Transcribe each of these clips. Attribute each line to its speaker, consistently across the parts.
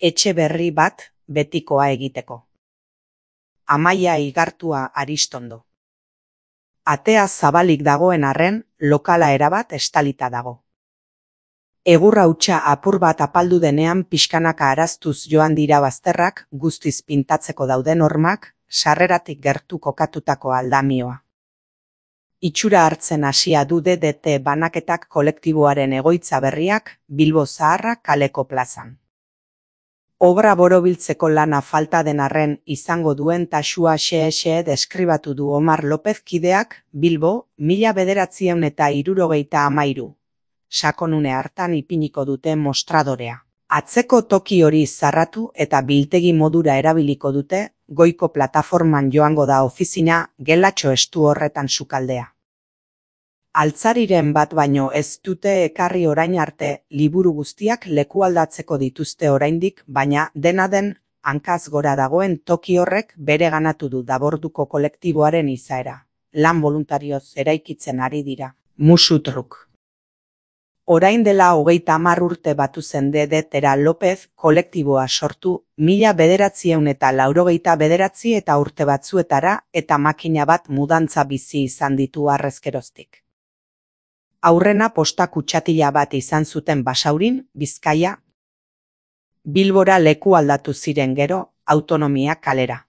Speaker 1: etxe berri bat betikoa egiteko. Amaia Igartua Aristondo. Atea zabalik dagoen arren, lokala erabat estalita dago. Egur hautsa apur bat apaldu denean pixkanaka araztuz joan dira bazterrak, guztiz pintatzeko dauden hormak, sarreratik gertu kokatutako aldamioa. Itxura hartzen hasia du DDT banaketak kolektiboaren egoitza berriak, Bilbo Zaharra kaleko plazan. Obra borobiltzeko lana falta den arren izango duen taxua xe deskribatu du Omar López kideak, Bilbo, 1973. Sakonune hartan ipiniko dute mostradorea. Atzeko toki hori zarratu eta biltegi modura erabiliko dute, goiko plataforman joango da ofizina, gelatxo estu horretan sukaldea. Altzariren bat baino ez dute ekarri orain arte, liburu guztiak lekualdatzeko dituzte oraindik, baina dena den, hankaz gora dagoen toki horrek bereganatu du Daborduko kolektiboaren izaera. Lan boluntarioz eraikitzen ari dira. Musutruk. Orain dela 30 urte batu zen DDTera López kolektiboa sortu, 1989 eta urte batzuetara eta makina bat mudantza bizi izan ditu harrezkeroztik. Aurrena posta kutsatila bat izan zuten Basaurin, Bizkaia. Bilbora leku aldatu ziren gero, Autonomia kalera.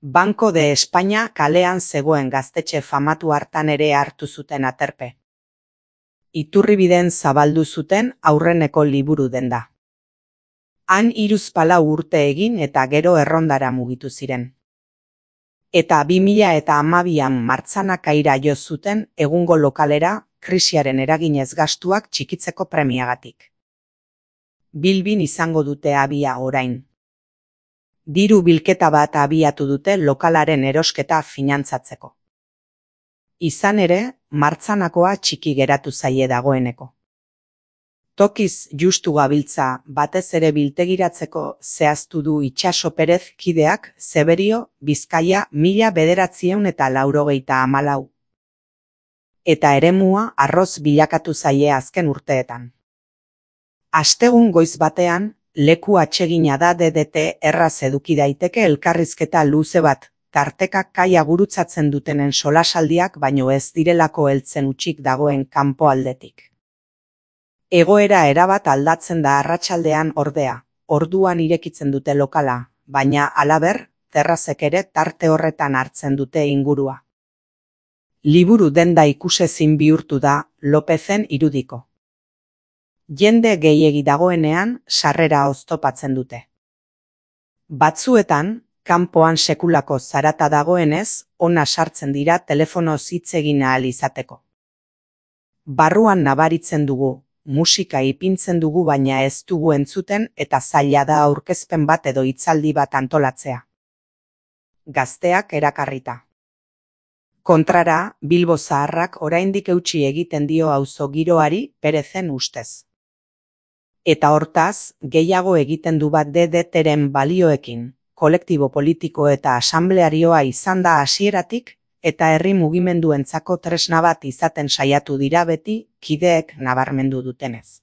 Speaker 1: Banco de España kalean zegoen gaztetxe famatu hartan ere hartu zuten aterpe. Iturribiden zabaldu zuten aurreneko liburu denda. Han 34 urte egin eta gero errondara mugitu ziren. Eta 2012an Martzanakaira jo zuten egungo lokalera, krisiaren eraginez gastuak txikitzeko premiagatik. Bilbin izango dute abia orain. Diru bilketa bat abiatu dute lokalaren erosketa finantzatzeko. Izan ere, Martzanakoa txiki geratu zaie dagoeneko. Tokiz justu gabiltza batez ere biltegiratzeko zehaztu du Itxaso Perez kideak, Zeberio, Bizkaia 1994. Eta eremua arroz bilakatu zaie azken urteetan. Astegun goiz batean, leku atsegina da DDT erraz eduki daiteke elkarrizketa luze bat, tarteka kaia gurutzatzen dutenen solasaldiak baino ez direlako heltzen utxik dagoen kanpo aldetik. Egoera erabat aldatzen da arratsaldean ordea, orduan irekitzen dute lokala, baina halaber, terrazek ere tarte horretan hartzen dute ingurua. Liburu denda ikusezin bihurtu da Lopezen irudiko. Jende gehiegi dagoenean sarrera oztopatzen dute. Batzuetan, kanpoan sekulako zarata dagoenez, ona sartzen dira telefonoz hitz egin ahal izateko. Barruan nabaritzen dugu, musika ipintzen dugu baina ez dugu entzuten eta zaila da aurkezpen bat edo hitzaldi bat antolatzea. Gazteak erakarrita. Kontrara, Bilbo Zaharrak oraindik eutsi egiten dio auzo giroari Perezen ustez. Eta hortaz, gehiago egiten du bat DDTren balioekin. Kolektibo politiko eta asamblearioa izan da hasieratik eta herri mugimenduentzako tresna bat izaten saiatu dira beti, kideek nabarmendu dutenez.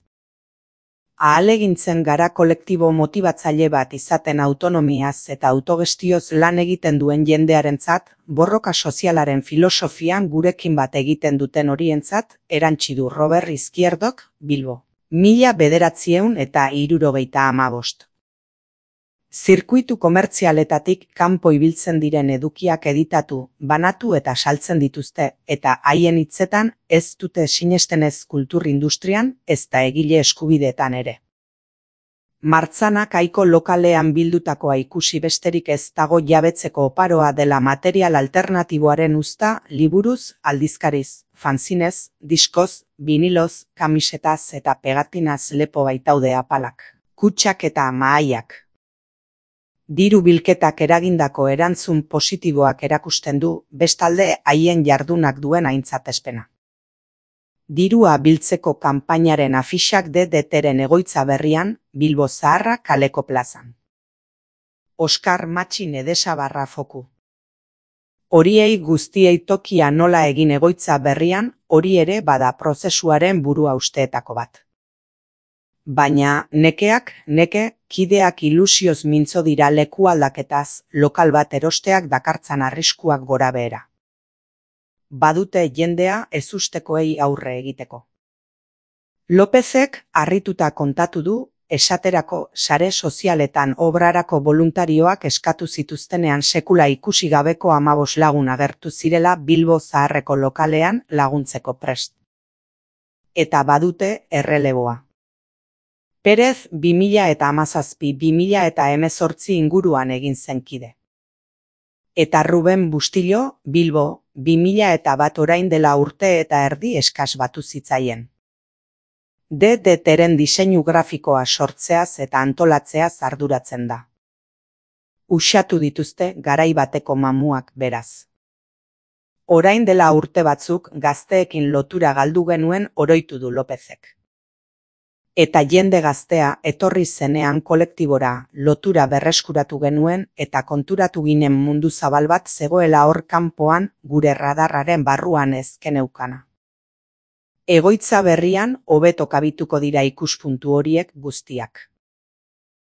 Speaker 1: Ahalegintzen gara kolektibo motibatzaile bat izaten autonomiaz eta autogestioz lan egiten duen jendearentzat, borroka sozialaren filosofian gurekin bat egiten duten horientzat, erantsi du Robert Izquierdok, Bilbo. 1975. Zirkuitu komertzialetatik kanpo ibiltzen diren edukiak editatu, banatu eta saltzen dituzte, eta haien hitzetan ez dute sinestenez kultur industrian, ezta egile eskubideetan ere. Martzanak aiko lokalean bildutakoa ikusi besterik ez dago jabetzeko oparoa dela material alternatiboaren uzta, liburuz, aldizkariz, fanzinez, diskoz, biniloz, kamisetaz eta pegatinaz lepo baitaude apalak, kutxak eta mahaiak. Diru bilketak eragindako erantzun positiboak erakusten du, bestalde haien jardunak duen aintzatespena. Dirua biltzeko kanpainaren afixak DDTren egoitza berrian, Bilbo Zaharra kaleko plazan. Oskar Matxin Edesabarra foku. Horiei guztiei tokia nola egin egoitza berrian, hori ere bada prozesuaren burua usteetako bat. Baina neke, kideak ilusioz mintzo dira leku aldaketaz, lokal bat erosteak dakartzan arriskuak gorabehera. Badute jendea ezustekoei aurre egiteko. Lopezek harrituta kontatu du, esaterako sare sozialetan obrarako voluntarioak eskatu zituztenean sekula ikusi gabeko 15 lagun agertu zirela Bilbo Zaharreko lokalean laguntzeko prest. Eta badute erreleboa. Perez 2017-2018 inguruan egin zen kide. Eta Ruben Bustillo, Bilbo, 2001 orain dela urte eta erdi eskas batu zitzaien. DDTren diseinu grafikoa sortzeaz eta antolatzeaz arduratzen da. Uxatu dituzte garai bateko mamuak beraz. Orain dela urte batzuk gazteekin lotura galdu genuen oroitu du Lopezek. Eta jende gaztea etorri zenean kolektibora lotura berreskuratu genuen eta konturatu ginen mundu zabal bat zegoela hor kanpoan gure radarraren barruan ezkeneukana. Egoitza berrian hobeto kabituko dira ikuspuntu horiek guztiak.